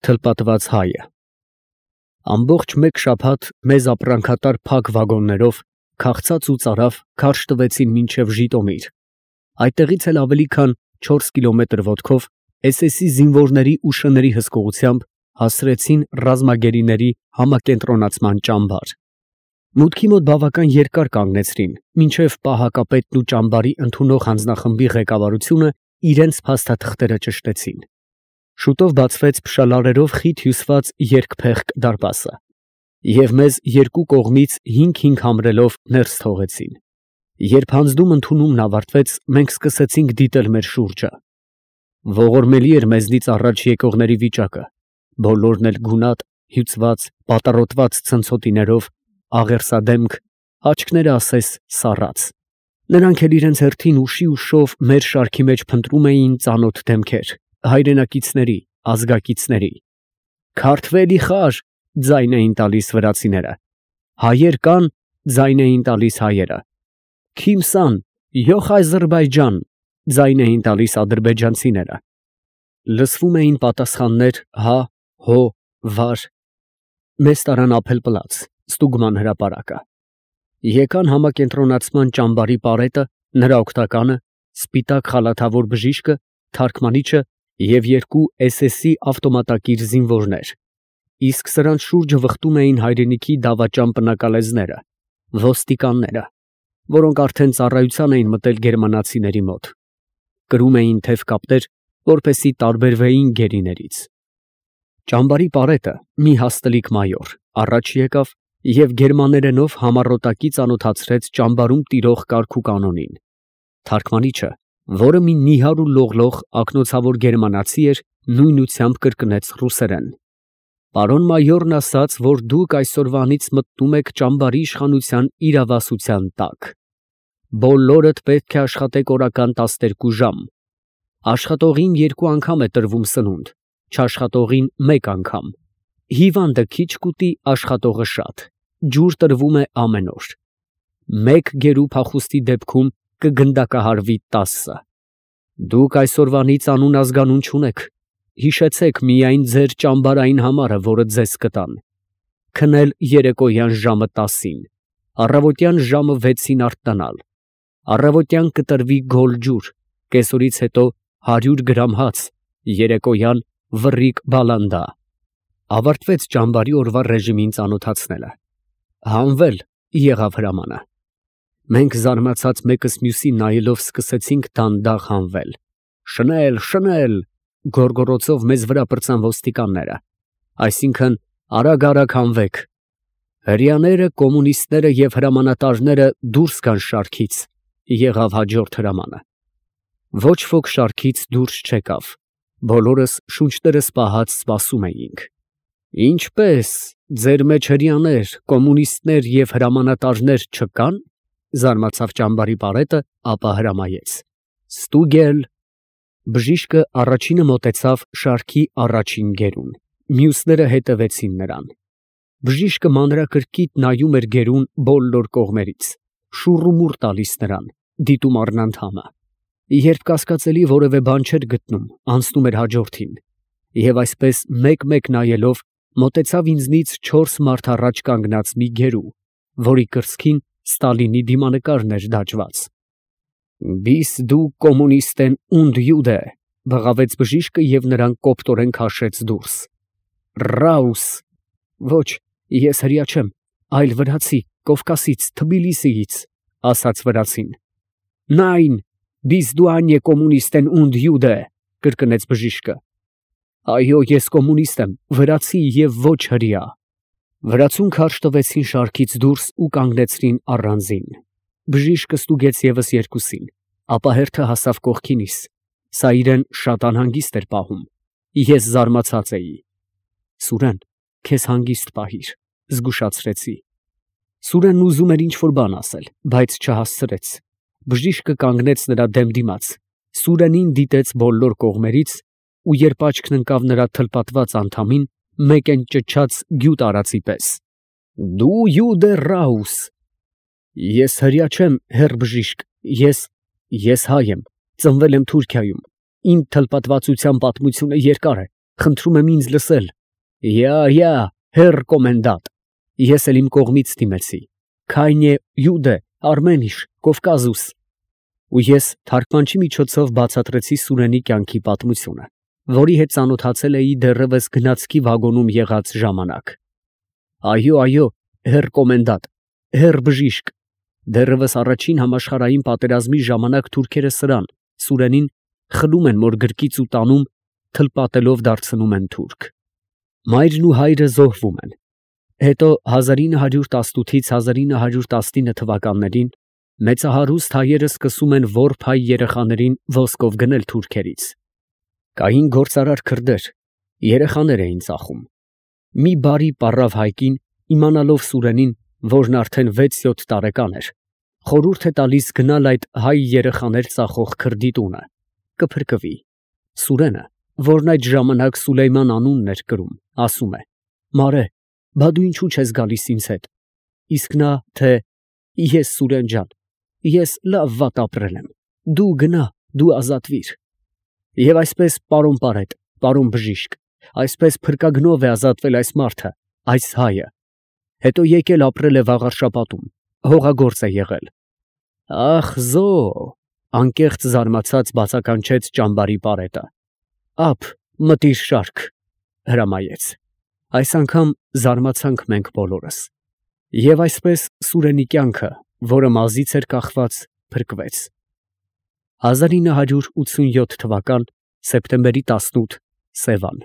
Թլպատված հայը։ Ամբողջ մեկ շաբաթ մեզ ապրանքատար փակ վագոններով քաղցած ու ծարավ քարշ տվեցին մինչև Ժիտոմիր, այդտեղից էլ ավելի քան 4 կիլոմետր ոտքով SS-ի զինվորների ու շների հսկողությամբ հասրեցին ռազմագերիների համակենտրոնացման ճամբար։ Մուտքի մոտ բավական երկար կանգնեցրին, մինչև պահակապետն ու ճամբարի ընդունող հանձնախմբի ղեկավարությունը իրենց փաստաթղթերը ճշտեցին։ Շուտով բացվեց փշալարերով խիտ հյուսված երկփեղկ դարպասը, և մեզ երկու կողմից 5-5 համրելով ներս թողեցին։ Երբ հանձնում ընդունումն ավարտվեց, մենք սկսեցինք դիտել մեր շուրջը։ Ողորմելի էր մեզնից առաջ եկողների վիճակը, բոլորն էլ գունատ, հյուծված, պատառոտված ցնցոտիներով, աղերսադեմք, աչքները ասես սառած։ Նրանք էլ իրենց հերթին ուշի ուշով մեր շարքի մեջ փնտրում էին ծանոթ դեմքեր, հայրենակիցների, ազգակիցների։ «Քարթվելի խար», ձայն էին տալիս վրացիները։ «Հայեր կան», ձայն էին տալիս հայերը։ «Քիմսան», «Յոխ Ադրբեջան», ձայն էին տալիս ադրբեջանցիները։ Լսվում էին պատասխաններ հա, հո, վար։ Մեզ տարան Ափելպլաց, ստուգման հրապարակը։ Եկան համակենտրոնացման ճամբարի պարետը, նրա օգնականը, սպիտակ խալաթավոր բժիշկը, թարգմանիչը և երկու SS-ի ավտոմատակիր զինվորներ, իսկ սրանց շուրջը վխտում էին հայրենիքի դավաճան պնակալեզները, ոստիկանները, որոնք արդեն ծառայության էին մտել գերմանացիների մոտ։ Կրում էին թև կապտեր, որպեսզի տարբերվեին գերիներից։ Ճամբարի պարետը, մի հաստլիկ մայոր, առաջ եկավ և գերմաներենով համառոտակի ծանոթացրեց ճամբարում տիրող կարգուկանոնին։ Թարգմանիչը, որը մի նիհար ու լողլող ակնոցավոր գերմանացի էր, նույնությամբ կրկնեց ռուսերեն։ «Պարոն մայորն ասաց, որ դուք այսօրվանից մտնում եք ճամբարի իշխանության իրավասության տակ։ Բոլորդ պետք է աշխատեք օրական 12 ժամ։ Աշխատողին 2 անգամ է տրվում սնունդ, չաշխատողին 1 անգամ։ Հիվանդը քիչ կուտի, աշխատողը շատ։ Ջուր տրվում է ամեն օր։ 1 գերու փախուստի դեպքում կգնդակահարվի 10։ Դուք այսօրվանից անուն ազգանուն չունեք։ Հիշեցեք միայն ձեր ճամբարային համարը, որը ձեզ կտան։ Քնել երեկոյան ժամը 10-ին, առավոտյան ժամը 6-ին արթնանալ։ Առավոտյան կտրվի գոլ ջուր, կեսօրից հետո 100 գրամ հաց, երեկոյան վռիկ բալանդա։ Ավարտվեց ճամբարի օրվա ռեժիմին ծանոթացնելը։ Հանվել եղավ հրամանը։ Մենք զարմացած մեկս մյուսին նայելով սկսեցինք դանդաղ հանվել։ Շնել, շնել, գոռգոռոցով մեզ վրա պրծան ոստիկանները, այսինքն արագ հանվեք։ Հրեաները, կոմունիստները և հրամանատարները դուրս գան շարքից, եղավ հաջորդ հրամանը։ Ոչ ոք շարքից դուրս չեկավ, բոլորս շունչներս պահած սպասում էինք։ Ինչպե՞ս, ձեր մեջ հրեաներ, կոմունիստներ և հրամանատարներ չկան, զարմացավ ճամբարի պարետը, ապա հրամայեց. Ստուգել։ Բժիշկը առաջինը մոտեցավ շարքի առաջին գերուն, մյուսները հետևեցին նրան։ Բժիշկը մանրակրկիտ նայում էր գերուն բոլոր կողմերից, շուռումուռ տալիս նրան, դիտում առնանդամը։ Երբ կասկածելի որևէ բան չէր գտնում, անցնում էր հաջորդին, և այսպես մեկ-մեկ նայելով մոտեցավ ինձնից 4 մարդ առաջ կանգնած մի գերու, որի կրծքին Ստալինի դիմանկարն էր դաջված։ Բիս դու կոմունիստեն und Jude, բղավեց բժիշկը և նրան կոպտորեն քաշեց դուրս։ Ռաուս։ Ոչ, ես հրեա չեմ, այլ վրացի, Կովկասից, Թբիլիսիից, ասաց վրացին։ Նայն, բիս դու անյե կոմունիստեն und Jude, կրկնեց բժիշկը։ Այո, ես կոմունիստ եմ, վրացի և ոչ հրեա։ Վրացուն քարշ տվեցին շարքից դուրս ու կանգնեցրին առանձին։ Բժիշկը ստուգեց ևս երկուսին, ապա հերթը հասավ կողքինիս, սա իրեն շատ անհանգիստ էր պահում։ Ես զարմացած էի։ Սուրեն, քեզ հանգիստ պահիր, զգուշացրեցի։ Սուրենն ուզում էր ինչ-որ բան ասել, բայց չհասցրեց։ Բժիշկը կանգնեց նրա դեմ դիմաց, Սուրենին դիտեց բոլոր կողմերից ու երբ աչքն ընկավ նրա թլպատված անդամին, մեկեն ճչաց գյուտ արածի պես. Դու Յուդե Ռաուս։ Ես հրեա չեմ, հեռ բժիշկ, ես հայ եմ, ծնվել եմ Թուրքիայում, իմ թլպատվածության պատմությունը երկար է, խնդրում եմ ինձ լսել։ Յա, հեր կոմենդանտ, ես էլ իմ կողմից դիմեցի, Քայնե, Յուդե, Արմենիշ, Կովկազուս։ Ու ես թարգմանչի միջոցով բացատրեցի Սուրենի կյանքի պատմությունը, որի հետ ծանոթացել էի դեռևս գնացքի վագոնում եղած ժամանակ։ Այո, հեր կոմենդանտ, հեր բժիշկ, դեռևս առաջին համաշխարհային պատերազմի ժամանակ թուրքերը սրան, Սուրենին, խլում են մոր գրկից ու տանում, թլպատելով դարձնում են թուրք։ Մայրն ու հայրը զոհվում են։ Հետո 1918-ից 1919 թվականներին մեծահարուստ հայերը սկսում են որբ հայ երեխաներին ոսկով գնել թուրքերից։ Կային գործարար քրդեր, երեխաներ էին ծախում։ Մի բարի պառավ հայկին, իմանալով Սուրենին, որն արդեն 6-7 տարեկան էր, խորհուրդ է տալիս գնալ այդ հայ երեխաներ ծախող քրդի տունը, կփրկվի։ Սուրենը, որն այդ ժամանակ Սուլեյման անունն էր կրում, ասում է. «Մարե, բա դու ինչու չես գալիս ինձ հետ»։ Իսկ նա, թե «Ես Սուրեն ջան, ես լավ վատ ապրել եմ, դու գնա, դու ազատվիր»։ Եվ այսպես, պարոն Պարետ, պարոն բժիշկ, այսպես փրկագնով է ազատվել այս մարդը, այս հայը։ Հետո եկել ապրել է Վաղարշապատում, հողագործ է եղել։ Ախ զո, անկեղծ զարմացած բացականչեց ճամբարի Պարետը։ Ափ, մտիր շարք, հրամայեց։ Այս անգամ զարմացանք մենք բոլորս։ Եվ այսպես Սուրենի կյանքը, որը մազից էր կախված, փրկվեց։ 1987 թվական սեպտեմբերի 18, Սևան։